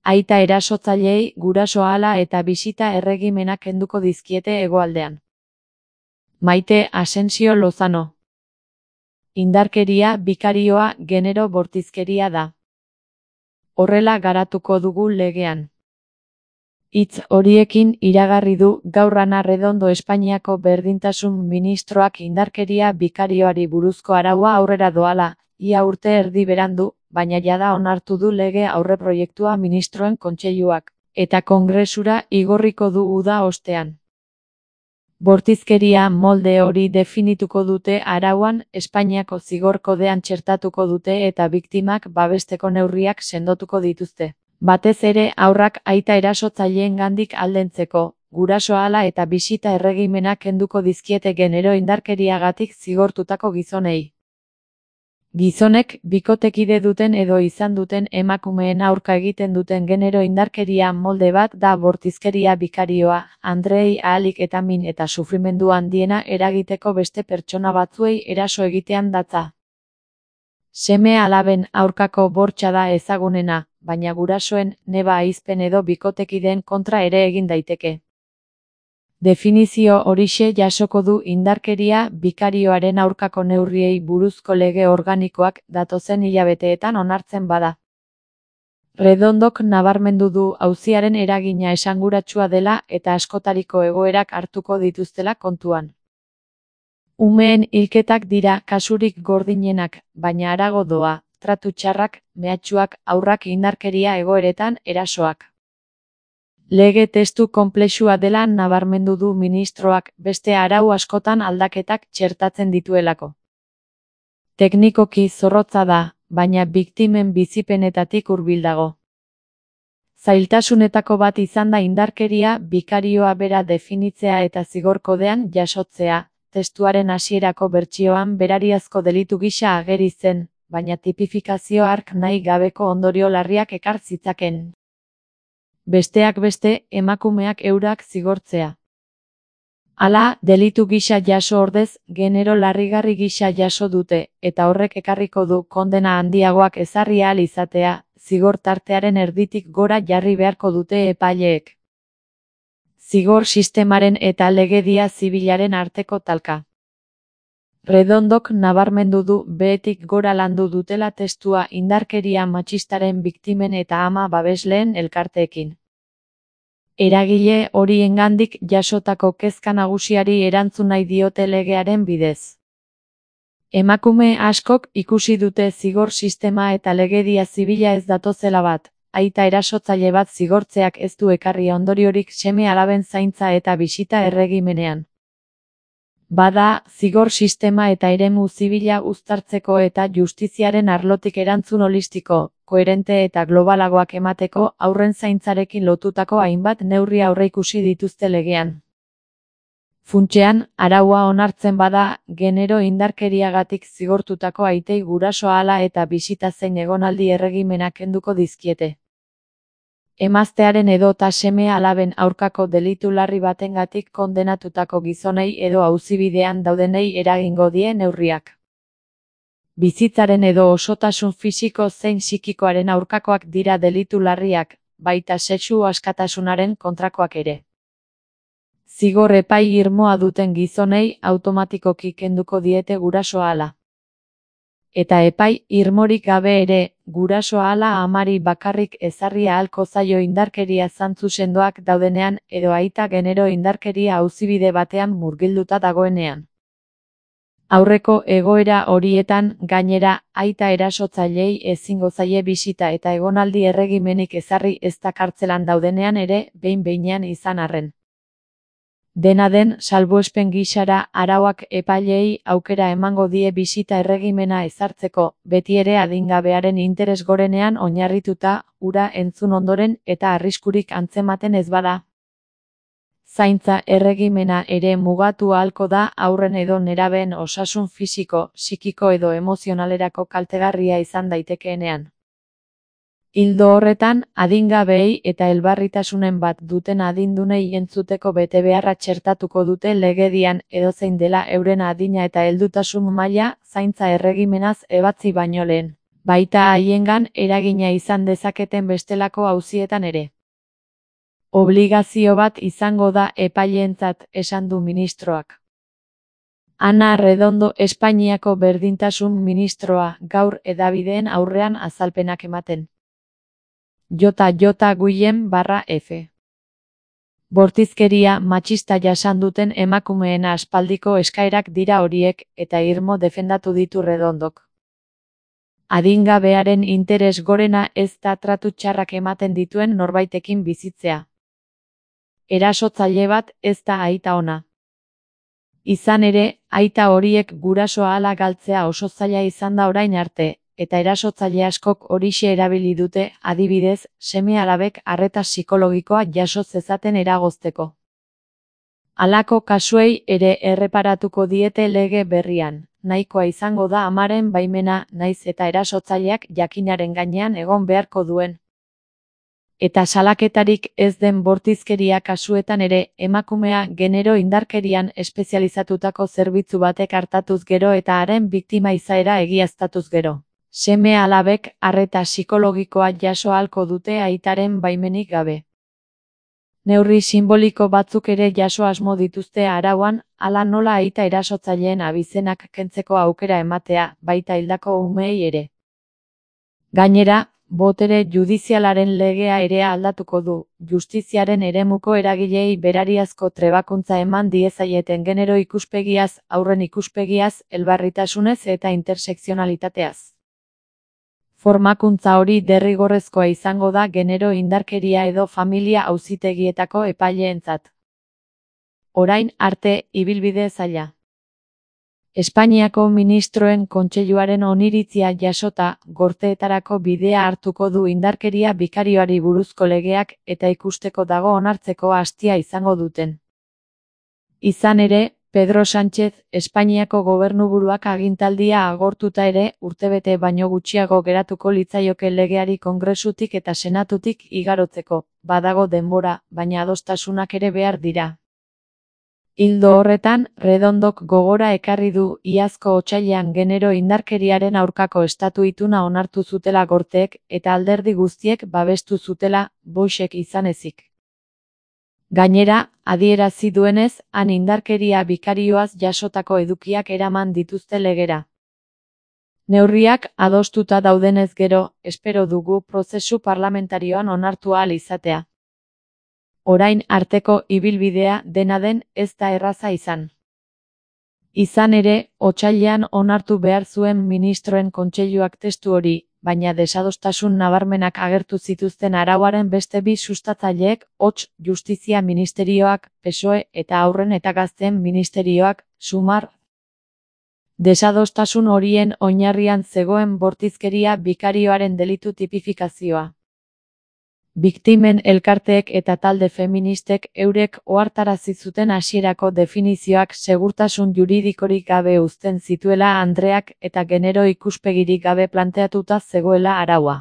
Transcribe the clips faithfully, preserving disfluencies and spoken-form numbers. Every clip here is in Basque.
aita erasotzaileei guraso ahala eta bisita erregimenak kenduko dizkiete hegoaldean. Maite Asensio Lozano. Indarkeria bikarioa genero bortizkeria da. Horrela garatuko dugu legean. Hitz horiekin iragarri du gaur Ana Redondo Espainiako berdintasun ministroak indarkeria bikarioari buruzko araua aurrera doala, ia urte erdi berandu, baina jada onartu du lege aurreproiektua ministroen kontseiluak, eta kongresura igorriko du uda ostean. Bortizkeria molde hori definituko dute arauan, Espainiako zigor kodean txertatuko dute eta biktimak babesteko neurriak sendotuko dituzte. Batez ere haurrak aita erasotzaileengandik aldentzeko, guraso ahala eta bisita erregimenak kenduko dizkiete genero indarkeriagatik zigortutako gizonei. Gizonek bikotekide duten edo izan duten emakumeen aurka egiten duten genero indarkeria molde bat da bortizkeria bikarioa, andrei ahalik eta min eta sufrimendu handiena eragiteko beste pertsona batzuei eraso egitean datza. Seme alaben aurkako bortxa da ezagunena, baina gurasoen, neba ahizpen edo bikotekideen kontra ere egin daiteke. Definizio horixe jasoko du indarkeria bikarioaren aurkako neurriei buruzko lege organikoak datozen hilabeteetan onartzen bada. Redondok nabarmendu du auziaren eragina esanguratsua dela eta askotariko egoerak hartuko dituztela kontuan. Umeen hilketak dira kasurik gordinenak, baina harago doa, tratu txarrak, mehatxuak, haurrak indarkeria egoeretan erasoak. Lege testu konplexua dela nabarmendu du ministroak beste arau askotan aldaketak txertatzen dituelako. Teknikoki zorrotza da, baina biktimen bizipenetatik hurbil dago. Zailtasunetako bat izan da indarkeria bikarioa bera definitzea eta zigor kodean jasotzea, testuaren hasierako bertsioan berariazko delitu gisa ageri zen, baina tipifikazio hark nahi gabeko ondorio larriak ekar zitzaken. Besteak beste, emakumeak eurak zigortzea. Hala, delitu gisa jaso ordez, genero larrigarri gisa jaso dute, eta horrek ekarriko du kondena handiagoak ezarri ahal izatea, zigor tartearen erditik gora jarri beharko dute epaileek. Zigor sistemaren eta legedia zibilaren arteko talka. Redondok nabarmendu du behetik gora landu dutela testua indarkeria matxistaren biktimen eta ama babesleen elkarteekin. Eragile horiengandik jasotako kezka nagusiari erantzun nahi diote legearen bidez. Emakume askok ikusi dute zigor sistema eta legedia zibila ez datozela bat, aita erasotzaile bat zigortzeak ez du ekarri ondoriorik seme alaben zaintza eta bisita erregimenean. Bada, zigor sistema eta eremu zibila uztartzeko eta justiziaren arlotik erantzun holistiko, koherente eta globalagoak emateko haurren zaintzarekin lotutako hainbat neurri aurreikusi dituzte legean. Funtsean, araua onartzen bada, genero indarkeriagatik zigortutako aitei guraso ahala eta bisita zein egonaldi erregimenak kenduko dizkiete. Emaztearen edota seme alaben aurkako delitu larri batengatik kondenatutako gizonei edo auzibidean daudenei eragingo die neurriak. Bizitzaren edo osotasun fisiko zein psikikoaren aurkakoak dira delitu larriak, baita sexu askatasunaren kontrakoak ere. Zigor epai irmoa duten gizonei automatikoki kenduko diete guraso ahala. Eta epai irmorik gabe ere, guraso ahala amari bakarrik ezarri ahalko zaio indarkeria zantzu sendoak daudenean edo aita genero indarkeria auzibide batean murgilduta dagoenean. Aurreko egoera horietan, gainera, aita erasotzaileei ezingo zaie bisita eta egonaldi erregimenik ezarri ez da kartzelan daudenean ere, behin-behinean izan arren. Dena den, salbuespen gisara arauak epaileei aukera emango die bisita erregimena ezartzeko, beti ere adingabearen interes gorenean oinarrituta, hura entzun ondoren eta arriskurik antzematen ez bada. Zaintza erregimena ere mugatu ahalko da haurren edo nerabeen osasun fisiko, psikiko edo emozionalerako kaltegarria izan daitekeenean. Ildo horretan, adingabeei eta elbarritasunen bat duten adindunei entzuteko betebeharra txertatuko dute legedian edozein dela euren adina eta heldutasun maila zaintza erregimenaz ebatzi baino lehen. baita haiengan eragina izan dezaketen bestelako auzietan ere. Obligazio bat izango da epaileentzat, esan du ministroak. Ana Redondo Espainiako berdintasun ministroa, gaur hedabideen aurrean azalpenak ematen. J J Guillem barra F. Bortizkeria matxista jasan duten emakumeen aspaldiko eskaerak dira horiek, eta irmo defendatu ditu Redondok. Adingabearen interes gorena ez da tratu txarrak ematen dituen norbaitekin bizitzea. Erasotzaile bat ez da aita ona. Izan ere, aita horiek gurasoa hala galtzea oso zaila izan da orain arte, eta erasotzaile askok horixe erabili dute, adibidez, seme-alabek arreta psikologikoa jaso zezaten eragozteko. Halako kasuei ere erreparatuko diete lege berrian, nahikoa izango da amaren baimena, naiz eta erasotzaileak jakinaren gainean egon beharko duen. Eta salaketarik ez den bortizkeria kasuetan ere, emakumea genero indarkerian espezializatutako zerbitzu batek hartatuz gero eta haren biktima izaera egiaztatuz gero. Seme-alabek arreta psikologikoa jaso ahalko dute aitaren baimenik gabe. Neurri sinboliko batzuk ere jaso asmo dituzte arauan, hala nola aita erasotzaileen abizenak kentzeko aukera ematea, baita hildako umeei ere. Gainera, botere judizialaren legea ere aldatuko du, justiziaren eremuko eragilei berariazko trebakuntza eman diezaieten genero ikuspegiaz, aurren ikuspegiaz, elbarritasunez eta intersekzionalitateaz. Formakuntza hori derrigorrezkoa izango da genero indarkeria edo familia auzitegietako epaileentzat. Orain arte, ibilbide zaila. Espainiako ministroen kontseiluaren oniritzia jasota, gorteetarako bidea hartuko du indarkeria bikarioari buruzko legeak eta ikusteko dago onartzeko astia izango duten. Izan ere, Pedro Sánchez, Espainiako gobernuburuak agintaldia agortuta ere, urtebete baino gutxiago geratuko litzaioke legeari Kongresutik eta Senatutik igarotzeko, badago denbora, baina adostasunak ere behar dira. Ildo horretan, Redondok gogora ekarri du iazko otsailean genero indarkeriaren aurkako estatu ituna onartu zutela gorteek eta alderdi guztiek babestu zutela, Voxek izan ezik. Gainera, adierazi duenez, han indarkeria bikarioaz jasotako edukiak eraman dituzte legera. Neurriak adostuta daudenez gero, espero dugu prozesu parlamentarioan onartu ahal izatea. Orain arteko ibilbidea dena den ez da erraza izan. Izan ere, otsailean onartu behar zuen ministroen kontseiluak testu hori, baina desadostasun nabarmenak agertu zituzten arauaren beste bi sustatzaileek, hots, Justizia Ministerioak, P S O E eta Haurren eta Gazteen Ministerioak, Sumar. Desadostasun horien oinarrian zegoen bortizkeria bikarioaren delitu tipifikazioa. Biktimen elkarteek eta talde feministek eurek ohartarazi zuten hasierako definizioak segurtasun juridikorik gabe uzten zituela andreak eta genero ikuspegirik gabe planteatuta zegoela araua.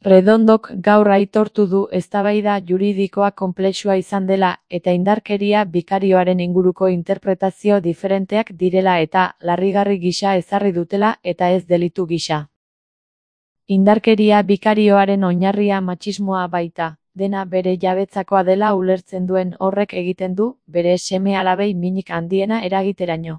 Redondok gaur aitortu du eztabaida juridikoa konplexua izan dela eta indarkeria bikarioaren inguruko interpretazio diferenteak direla eta larrigarri gisa ezarri dutela eta ez delitu gisa. Indarkeria bikarioaren oinarria matxismoa baita, dena bere jabetzakoa dela ulertzen duen horrek egiten du, bere seme-alabei minik handiena eragiteraino.